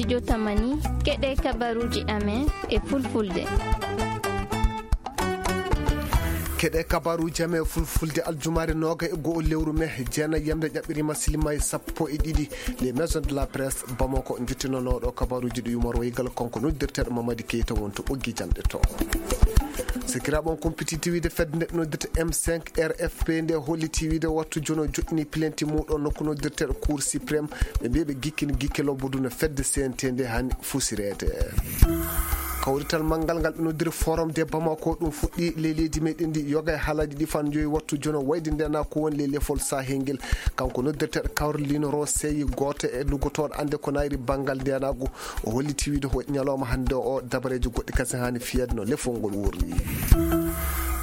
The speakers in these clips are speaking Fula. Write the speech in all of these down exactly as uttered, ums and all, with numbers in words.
Jotamani, keɗe kabaruuji amen e fulfulde. Keɗe kabaruuji amen e fulfulde, aljumaare nooga e go'o lewru me, jeenayi yamde ƴaɓɓiriima silima e sappo e ɗiɗi. Les Maisons de la Presse Bamako, njottinanooɗo kabaruuji ɗi Yumar Waygal, kanko noddirteeɗo Mamadi Keita won to ɓoggi janɗe to. Sikiraaɓe on kumpititti wiide fedde nde noddirta M cinq R F P nde holliti wiide wattu jono joɗɗini plainte muuɗo nokku noddirteeɗo Cour suprême. Ɓe mbiyi ɓe gikkini gikke lobbudu no fedde C N T nde hani fusireede. Kawrital manngal ngal ɓe noddiri Forum de Bamako, ɗum fuɗɗi ley leydi meɗen ndi, yoga e haalaaji ɗi fan joyi wattu jono wayde ndena ko woni ley lefol Sahel ngel. Kanko noddirteeɗo Caroline Rossey, gooto e luggotooɗo annde ko nayri banngal ndenagu, o holliti wiide ko ñalawma hannde o dabareeji goɗɗi kasen hani fiyeede no lefol ngol wurri.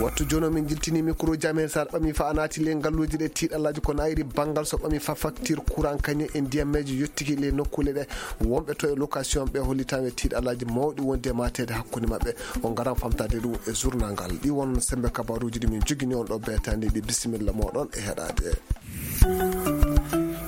Wattu jono min jiltini micro ji amen, sa ɓami fa a naati ley ngalluuji ɗe tiiɗallaaji ko nayri banngal so ɓami fa facture courant kañe e ndiyammeeji yottiki ley nokkuule ɗe. Wonɓe to e location ɓe hollitaama e tiiɗallaaji mawɗi wonde e mateede hakkunde maɓɓe. On ngaran famtaade ɗum e journal ngal. Ɗi won sembe kabaruuji ɗi min jogini on ɗo beetandi ɗi. Bisimilla moɗon e heɗaade.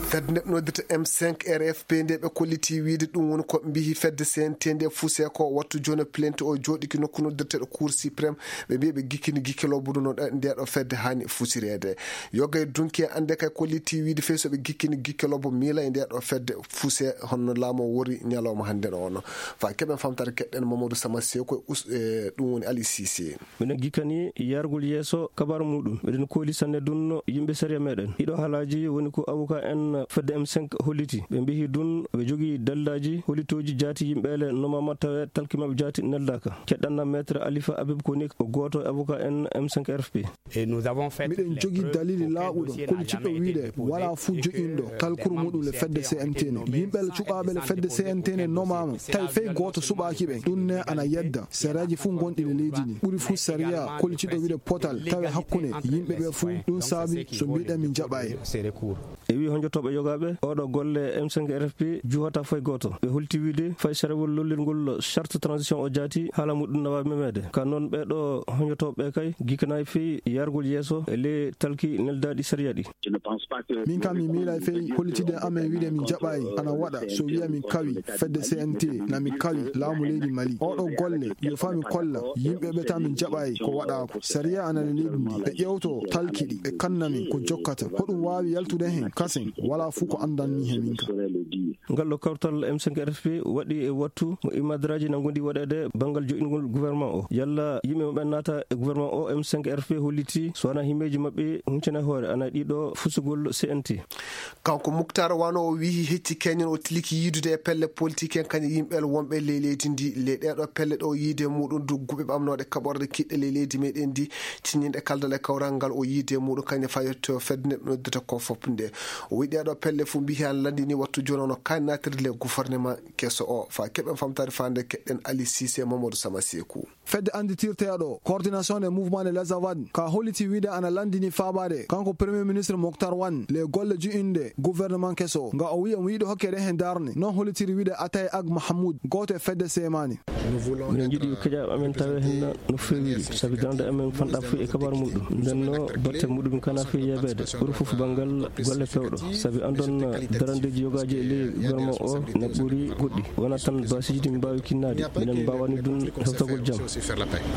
Fedde nde noddirta M cinq R F P nde ɓe kolliti wiide ɗum woni ko mbiyi fedde C N T nde fuse ko wattu jono plainte o jooɗiki nokku noddirteeɗo Cour suprême. Ɓe mbiyi ɓe gikkini gikke lobbo ɗum no nde ɗo fedde hani fusireede. Yoga e dunki e annde kay kolliti wiide fey so ɓe gikkini gikke lobbo miila e nde ɗo fedde fuse honno laamu o wori ñalawma hannde ɗo ono. Fa keɓen famtare keɗɗen Mamadou Sama Seko e us-, e ɗum woni Ali Cissé. Miɗen gikkani yargol yeeso kabaru muɗum. Miɗen kooli sanne dunno yimɓe sariya meɗen. Ɗiɗo haalaaji woni ko avocat en fedde M cinq holliti. Ɓe mbiyi dun ɓe jogii dalilaji hollitooji jaati yimɓe ele nomama tawe talki maɓɓe jaati neldaka. Keɗɗanna maître Alifa Abib Konik ko gooto e avocat en M cinq R F P. Miɗen jogii dalili laaɓuɗo kollitiiɗo wiide walaa fuu joƴinɗo talkuru muɗum le fedde C N T ne. Yimɓe le cuɓaaɓe le fedde C N T ne nomaama, tawi fey gooto suɓaaki ɓe. Ɗum ne ana yedda. Sariyaaji fuu gonɗi le leydi ndi. Ɓuri fuu sariya kollitiiɗo wiide potal tawe hakkunde yimɓe ɓe fuu. Ɗum saabi so mbiɗen min jaɓaay. E wi honjotooɓe yogaaɓe, oɗo golle M cinq R F P juhata fay gooto. Ɓe holti wiide fay sarewol lollirngol charte transition o jaati, haala muɗum na waawi memeede. Ka noon ɓeeɗo honjotooɓe kay gikkanaay fey yargol yeeso e ley talki neldaaɗi sariya ɗi. Min kam mi miilay fey hollitide amen wiide min jaɓaay ana waɗa so wiya min kawi fedde C N T na min kawi laamu leydi Mali. Oɗo golle yo faa min kolla yimɓe ɓe ta min jaɓaay ko waɗaako. Sariya ana le leydi ndi. Ɓe ƴewto talki ɗi, ɓe kanna min ko jokkata. Hoɗum waawi yaltude hen kasen? Walaa fuu ko anndanmi he min ka. Ngal ɗo kawtal M cinq R F P waɗi e wattu mo imadraji nangundi waɗeede banngal joɗingol gouvernement o. Yalla yimɓe maɓɓe naata e gouvernement o M cinq R F P holliti so wona himmeeji maɓɓe huncana hoore ana ɗiɗo fusugol C N T. Kanko Muktar Wano o wiyi hecci keñen o tiliki yiidude e pelle politique en kañum yimɓe wonɓe ley leydi ndi. Ley ɗeɗo pelle ɗo yiide muɗum dugguɓe ɓamnoɗe kaɓorde kiɗɗe ley leydi meɗen ndi. Ciññinɗe kaldal e kawral ngal o yiide muɗum kañum fayetto fedde nde ɓe noddata ko fop nde. O wiyi ɗeɗo pelle fof mbiyi han landini wattu jooni ono kaynatirde le gouvernement keso o. Fa keɓen famtare fande keɗɗen Ali Cissé Mamadou Sama Sekou. Fedde annditirteeɗo coordination des mouvements de l'Azawad ka holliti wiide ana landini faabaade kanko premier ministre Moctar Wan le golle ju'inde gouvernement keso nga o wiya mo yiɗo hokkede hen darne non hollitiri wiide Atay Ag Mahamoud gooto e fedde seemaani. Minen njiɗi keƴaaɓe amen tawe hen no feewiri sabi darnde amen fanɗa fof e kabaru muɗum ndenno batte muɗum kana fii yeebeede ɓuri fof banngal golle pewɗo sabi andon darandeeji yogaaji e ley gouvernement o na ɓuri goɗɗi wona tan basiiji ɗi mbaawi kinnaade minen mbaawani ɗum hewtagol jam.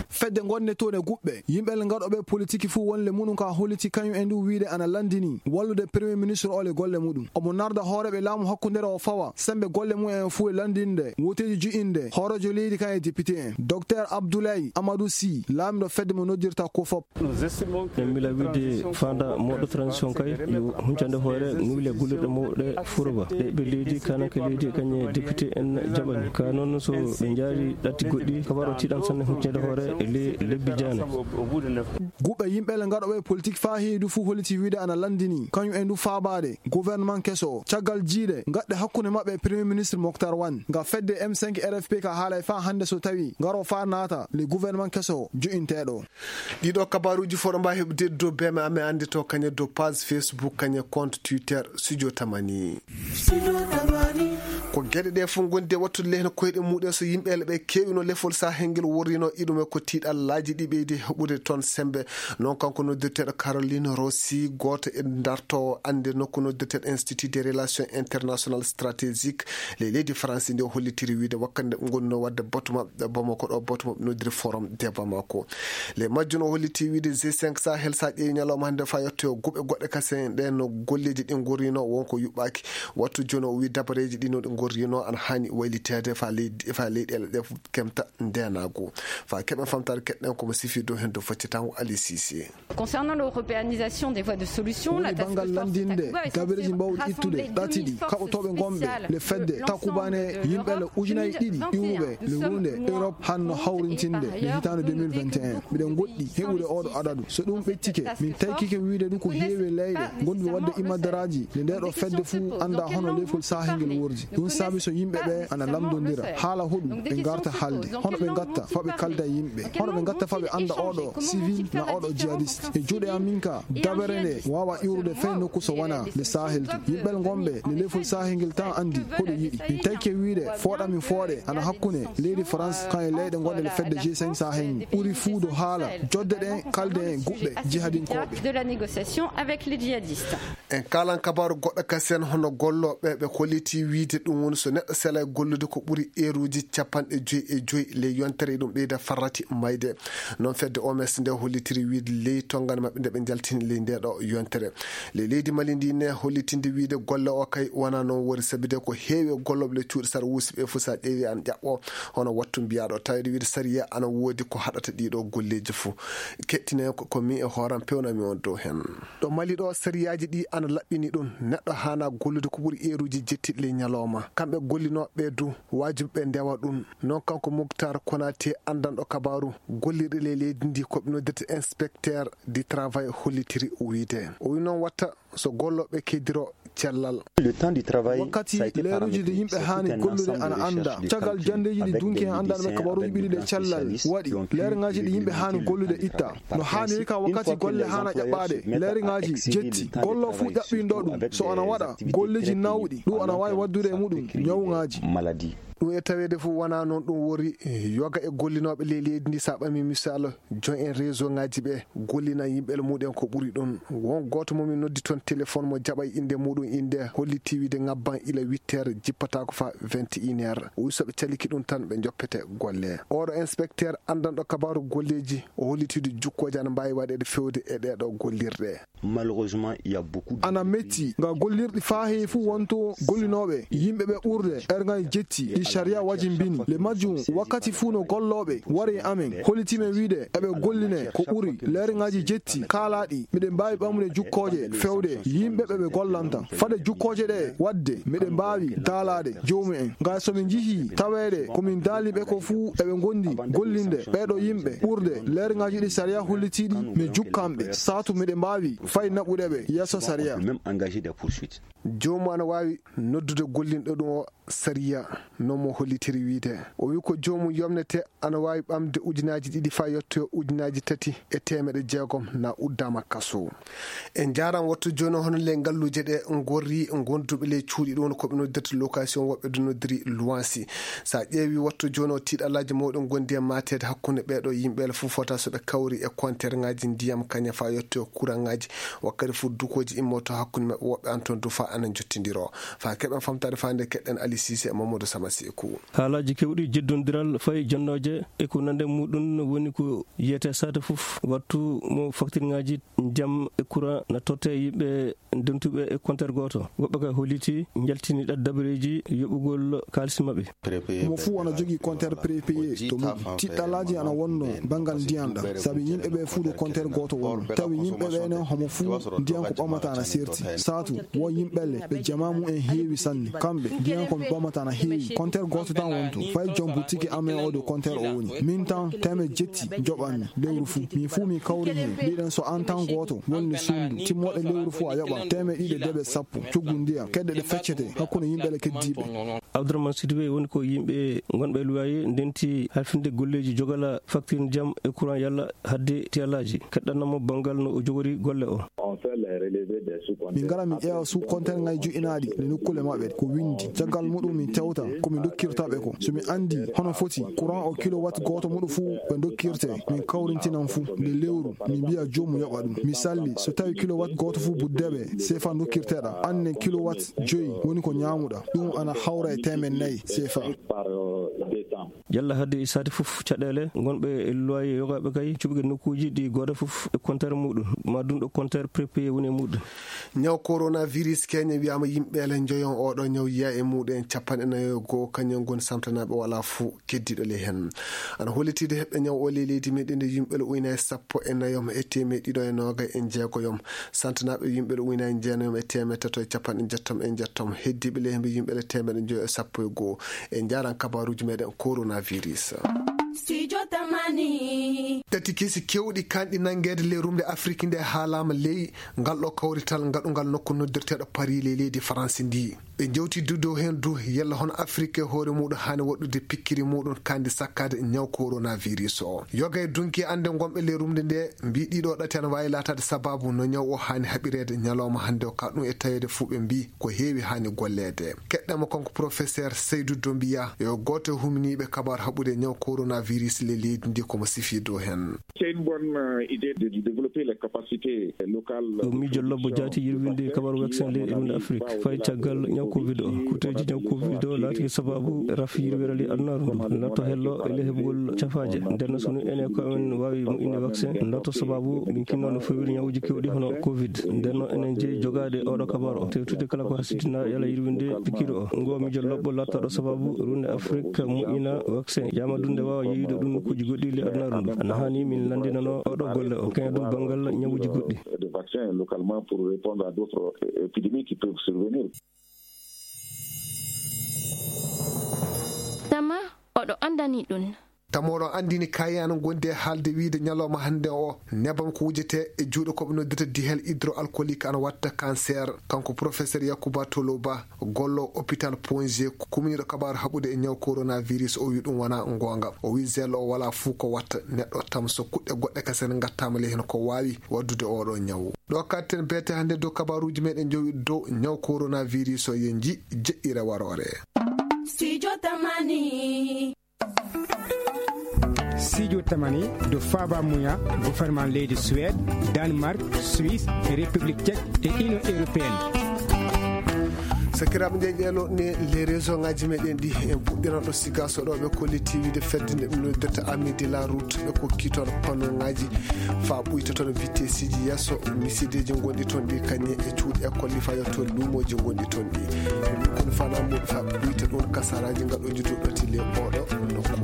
Fedde ngonde toon e guɓɓe yimɓe le ngaɗoɓe politiki fuu wonle muɗum ka holliti kañum e ndu wiide ana landini wallude premier ministre o le golle muɗum omo narda hooreɓe laamu hakkundere o fawa sembe golle mum en fuu e landinde woteeji ju'inde hoorejo leydi kan e député en docteur Abdoulaye Amadou Sy laamiɗo fedde mo noddirta ko fop. En mila wiide fanda moɗo transition kay yo huncande hoore nuwle gullirɗe mawɗe furoba ɗe ɓe leydi kanake leydi kañe député en jaɓani ka noon so ɓe jaari ɗatti goɗɗi kabaro tiɗan sanne huncande hoore e le lebbi jaane. Guɓɓe yimɓe le ngaɗoɓe politique faa heewi du fuu holliti wiide ana landini kañum e ndu faabaade gouvernement keso caggal jiiɗe gaɗɗe hakkunde maɓɓe e premier ministre Moctar Wan nga fedde M cinq R F P ka haalay faa hannde so tawi ngaro faa naata le gouvernement keso jo'inteeɗo. Ɗiɗo kabaruuji fof ɗo mbaawi heɓde dow beme amen annde to kañe dow page Facebook kañe compte Twitter Studio Tamani. Ko geɗe ɗe fof ngondi e wattude lehne koyɗe muɗen so yimɓe ele ɓe keewino lefol Sahel ngel worrino iɗum e ko tiiɗallaaji ɗi ɓeydi heɓude toon sembe. Noon kanko noddirteeɗo Caroline Rossi, gooto e dartoowo annde nokku noddirteeɗo Institut des Relations Internationales Stratégiques, ley leydi France nde o hollitiri wiide wakkati nde ɓe ngonno waɗde batu maɓɓe Bamako ɗo, batu maɓɓe noddiri Forum de Bamako. Ley majjum o holliti wiide G cinq Sahel, so a ƴeewi ñalawma hannde fa yetto e guɓe goɗɗe kasen ɗe no golleeji ɗi ngorrino wonko yuɓɓaaki. Wattu jooni o wi dabareeji ɗi no ɗi ngorrino ana haani wayliteede fa leydi, fa leyɗeele ɗe fof kemta ndeenaagu. Fa keɓen famtaade keɗɗen komo sifi dow heen dow faccitango Ali Sisi. Concernant l'européanisation des voies de solution, la task force Takuba est censée rassembler deux mille forces spéciales de l'ensemble de l'Europe. Woni banngal lanndinde dabareeji mbawɗi ittude ɗaɗi ka o toɓe ngonɓe le fedde Takuba ne yimɓe le ujunaaji ɗiɗi iwruɓe le runde Europe hanno hawrintinde le hitaande deux mille vingt et un. Miɗen ngoɗɗi heɓude oɗo adadu. So ɗum ɓeccike, min taykike wiide ɗum ko heewi leyɗe ngonduɓe waɗde imadaraaji nde nde ɗo fedde fuu annda hono lefol Sahel ngel wordi. Ɗum saabi so yimɓe ɓe ana lamndondira haala hoɗum ɓe ngarta haalde, hono ɓe ngatta fa ɓe kalda e yimɓe, hono ɓe ngatta fa ɓe annda oɗo civil na oɗo jihadiste. E juuɗe am min ka, dabere nde waawa iwrude fay nokku so wonaa le Sahel to. Yimɓe ngonɓe le lefol Sahel ngel tan anndi ko ɗum yiɗi. Min tayke wiide fooɗa min fooɗe ana hakkunde leydi France kan e leyɗe ngonɗe le fedde G cinq Sahel. Ɓuri fuu do haala jodde ɗen kalde en guɓɓe jihadinkooɓe. De la négociation avec les djihadistes. En kaalan kabaaru goɗɗo kasen hono gollooɓe ɓe holliti wiide ɗum woni so neɗɗo sela e gollude ko ɓuri eeruuji capanɗe joyi e joyi ley yontere, ɗum ɓeyda farrati mayde. Noon fedde O M S nde hollitiri wiide ley tonngande maɓɓe nde ɓe njaltini ley nde ɗo yontere. Ley leydi Mali ndi ne hollitinde wiide golle o kay wona noon wori sabide ko heewi e gollooɓe le cuuɗi sar wuusi ɓe fof sa ƴeewi an ƴaɓɓo hono wattu mbiyaɗo taweede wiide sariya ana woodi ko haɗata ɗiɗo golleeji fof. Kettine ko, ko mi e hooram pewnami on dow heen. Ɗo Mali ɗo, sariyaaji ɗi ana laɓɓini ɗum. Neɗɗo haana gollude ko ɓuri eeruuji jettiɗi ley ñalawma. Kamɓe gollinooɓe du, waajibi ɓe ndewa ɗum. Noon kanko Muktar Konaté, anndanɗo kabaaru gollirɗe ley leydi ndi, ko ɓe noddirta inspecteur du travail, hollitiri wiide. O wi noon watta so gollooɓe keddiro cellal. Wakkati leeruuji ɗi yimɓe haani gollude ana annda. Caggal janndeeji ɗi dunki en anndanɓe kabaruuji ɓiɗi ɗe cellal waɗi, leerŋaaji ɗi yimɓe haani gollude itta. No haaniri ka wakkati golle haana ƴaɓɓaade, leerŋaaji jetti. Gollo fuu ƴaɓɓinɗo ɗum, so ana waɗa golleeji nawɗi, ɗum ana waawi waddude e muɗum ñawŋaaji. Ɗum e taweede fof wonaa noon ɗum wori. Yoga e gollinooɓe ley leydi ndi, so a ɓamii misal, joom en réseau ŋaaji ɓe gollina yimɓe mumen ko ɓuri ɗum. Won gooto mo min noddi toon téléphone mo jaɓay innde muɗum, innde holliti wiide ŋabban ila huit heures, jippataako fa vingt et une heures. O wi so ɓe caliki ɗum tan ɓe njoppete golle. Oɗo inspecteur anndanɗo kabaaru golleeji, o holliti wiide jukkooje ana mbaawi waɗeede feewde e ɗee ɗo gollirɗe. Malheureusement, il y a beaucoup de... Ana metti nga gollirɗi faa heewi fuu wonto gollinooɓe, yimɓe ɓe ɓurde, erŋaaji jetti, ɗi sariya wajimbini. Le majjum, wakkati fuu no gollooɓe wari e amen, holliti men wiide eɓe golline ko ɓuri leerŋaaji jetti kaalaaɗi, miɗen mbaawi ɓamude jukkooje feewde yimɓe ɓe ɓe gollanta. Fade jukkooje ɗe waɗde, miɗen mbaawi daalaade joomumen. Nga so min njihii taweede ko min daali ɓe ko fuu eɓe ngondi gollinde ɓeeɗo yimɓe ɓurde leerŋaaji ɗi sariya hollitiiɗi, mi jukkan ɓe. Saatu miɗen mbaawi fay naɓude ɓe yeeso sariya. Même engager des poursuites. Joomu ana waawi noddude gollinɗo ɗum o sariya, no mo hollitiri wiide. O wi ko joomum yomnete ana waawi ɓamde ujunaaji ɗiɗi faa yettoya ujunaaji tati e teemeɗe jeegom na uddaama kaso. En njaaran wattu jooni hono le ngalluuje ɗe ngorri gonduɓe ley cuuɗi ɗum ko ɓe noddirta location, woɓɓe du noddiri luwansi. So a ƴeewi wattu jooni o tiiɗalaaji mawɗi ngondi e maateede hakkunde ɓeeɗo yimɓe ele fof fota so ɓe kawri e konterŋaaji ndiyam kaña faa yettoya kuraŋaaji. Wakkati fof dukooji immoto hakkunde maɓɓe woɓɓe an toon du faa ana njottindiro. Faa keɓen famtaade faa nde keɗɗen Ali Sise e Mamadou Sama Seeku. Haalaaji kewɗi jeddondiral fay jonnooje e ko nande muɗum woni ko yiyete saate fof wattu mo faktirŋaaji ndiyam e courant na totte yimɓe dentuɓe e compteur gooto. Woɓɓe kay holliti njaltini ɗat dabareeji yoɓugol kaalisi maɓɓe. Mo fuu ana jogii compteur prépayé to mum. Tiɗɗalaaji ana wonno banngal ndiyan ɗan, sabi yimɓe ɓe fuu ɗo compteur gooto wonno. Tawi yimɓe ɓe ne homo fuu ndiyan ko ɓamata ana serti. Saatu won yimɓe le ɓe jama mum en heewi sanne. Kamɓe ndiyan ko ɓe ɓamata ana heewi. Compteur gooto tan wonto. Fay jom butiki amen o ɗo compteur o woni. Min tan teemeɗe jetti njoɓanmi lewru fuu. Min fuu min kawri heen. Mbiɗen so an tan gooto wonni suudu. Timmooɗe lewru fuu a yoɓa teemeɗe ɗiɗi e debe sappo. Coggu ndiyan. Kedde ɗe feccete hakkunde yimɓe le keddiiɓe. Abdourahmane Sidibé woni ko yimɓe ngonɓe e luwaaye ndenti halfinde golleeji jogala facture ndiyam e courant yalla hadde tiyalaaji. Keɗɗanno mo banngal no o jogori golle o. On Min ngara min ƴeewa sous-compteur ngaji jo'inaaɗi le nokkuule maɓɓe ko winndi. Caggal muɗum min tewta ko min ndokkirta ɓe ko. So min anndi hono foti courant o kilowatt gooto muɗum fuu ɓe ndokkirte, min kawrintinan fuu nde lewru, min mbiya joomum yoɓa ɗum. Misalli, so tawi kilowatt gooto fuu buddeɓe seefa ndokkirteɗa, anne kilowatt joyi woni ko ñaamuɗa. Ɗum ana hawra e teemen nayi seefa. Yalla hadde isaade fof caɗeele ngonɓe e loyer yogaaɓe kay cuɓgel nokkuuji ɗi gooda fof e compteur muɗum ma ɗum ɗo compteur prépayé woni e muɗum. Ñaw coronavirus keña wiyama yimɓe ele njoyon oɗo ñaw yiya e muɗum en capanɗe nayo e goo kañum goni samtanaɓe wala fuu keddiɗo ley hen. Ana hollitide heɓɓe ñaw o ley leydi meɗen nde yimɓe le uyna e sappo e nayom e temeɗe ɗiɗo e noga e jeegoyom. Santanaɓe yimɓe le uyna e jeenayom e temeɗe tato e capanɗe jettom e jettom heddiɓe ley hemɓe yimɓe le temeɗe njoyo e sappo e goo. E jaran kabaruji meɗen coronavirus. Studio Tamani. Tati kesi kewɗi kanɗi nangede ley rumde Afrique nde haalama ley ngal ɗo kawrital gaɗugal nokku noddirteɗo Paris ley leydi France ndi. Ɓe jewti du dow heen du yalla hono Afrik e hoore muɗum haani waɗude pikkiri muɗum kandi sakkade ñaw coronavirus o. Yoga e dunki annde gonɓe ley rumde nde mbi ɗiɗo ɗati ana waawi laataade sababu no ñaw o haani haɓireede ñalawma hannde o ka ɗum e taweede fuu ɓe mbi ko heewi haani golleede. Keɗɗama kanko professeur Seydou Dombiya yo gooto e huminiiɓe kabaar haɓude ñaw coronavirus ley leydi ndi komo sifii dow heen. C'est une bonne idée de développer les capacités locales. Ɗum miijo lobbo jaati yirwinde kabaru vaccin ley e ɗum Afrik fayi caggal ñaw covid o. Kuteeji ñaw covid o laati sababu raf yirwere ley adunaaru ndu natto hello e ley heɓugol cafaaje. Nden no sunu enen ko amen waawi moƴƴinde vaccin natto sababu min kinno no fewiri ñawuji kewɗi hono covid. Nden no enen jeyi jogaade oɗo kabaru o tewtude kala ko hasidina yala yirwinde pikiiɗo o. Ngo miijo lobbo lattaɗo sababu runde Afrik moƴƴina vaccin yama dunde waawa yeeyude ɗum nokkuuji goɗɗi ley adunaaru ndu. Ana haani min lanndinano oɗo golle o kañum ɗum banngal ñawuji goɗɗi. De vaccin localement pour répondre à d'autres épidémies qui peuvent survenir. Tama oɗo anndani ɗum. Tama oɗo anndini kayi ana gondi e haalde wiide ñalawma hannde o nebam ko wujete e juuɗe koɓe noddirta dihel hydroalcoolique ana watta cancer. Kanko professeur Yakuba Toloba gollo hôpital Ponge kuminiɗo kabaru haɓude e ñaw coronavirus o wi ɗum wona goonga. O wi gel o wala fuu ko watta neɗɗo tam so kuɗɗe goɗɗe kese ne gattama ley hen ko wawi waddude oɗo ñaw. Ɗo katten beete hannde dow kabaruji meɗen jowi dow ñaw coronavirus o ye ji jeɗɗire warore. Studio Tamani. Studio Tamani do faba muya gouvernement leydi Suède, Danemark, Suisse, République Tchèque et Union Européenne. Sakiraaɓe nde ƴeelo ne les région ngaji meɗen ɗi en puɗɗiran ɗo siga so ɗo ɓe kolliti wiide fedde nde ɓe noddirta ami de la route ɓe kokki toon panneau ngaji fa ɓuyta toon vitesse ji yesso misideji gonɗi toon ɗi kañe e cuuɗi école ɗi fa yetto luumoji gonɗi toon ɗi. Ɗum kono fana muɗum fa ɓuyta ɗum kasaraji gaɗoji duɗɗoti le oɗo nokku.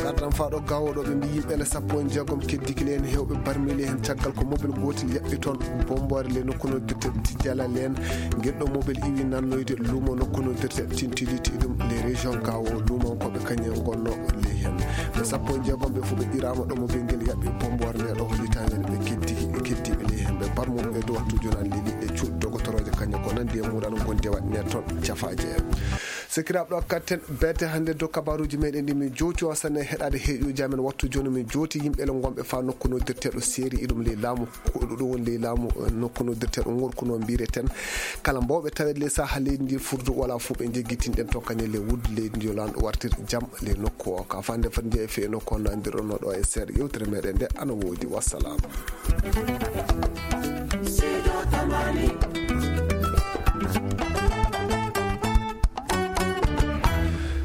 Gardan fa ɗo gawoɗo ɓe mbi yimɓe le sappo e jeegom keddiki le en hewɓe barmili hen caggal ko mobil gotel yaɓɓi toon bombore le nokku no guette tijjala len. Gueɗɗo mobil iwi nannoyde luumo nokku no guette tintiliti ɗum les région gawo luumo koɓe kañe gonno ley hen. Ɓe sappo e jeegom ɓe fof ɓe qirama ɗo mobil ngel yaɓɓi bombore nde ɗo hollitamen ɓe keddiki ɓe keddiɓe ley hen ɓe barmuɓe ɓe do wattu jonan leli e cuuɗi dogotoroje kañe ko nandi e muɗan gonde waɗne toon cafaje. Sekiraɓe ɗo katten bete hannde dow kabaruji meɗen ɗi min jowti o sanne heɗade heɗoji amen wattu joni min jowti yimɓe le gonɓe fa nokku noddirteɗo seeri iɗum ley laamu. Ko ɗum woni ley laamu nokku noddirteɗo ngorku no mbireten kala mbawɓe tawede ley saha leydi ndi furdu wala fof ɓe jeggitinɗen to kañe ley wuddu leydi ndi yo lanɗo wartir jam ley nokku o ka fande fat jeeya fe nokku o nandirɗon no ɗo e seeɗa yewtere meɗen nde ana woodi wassalam.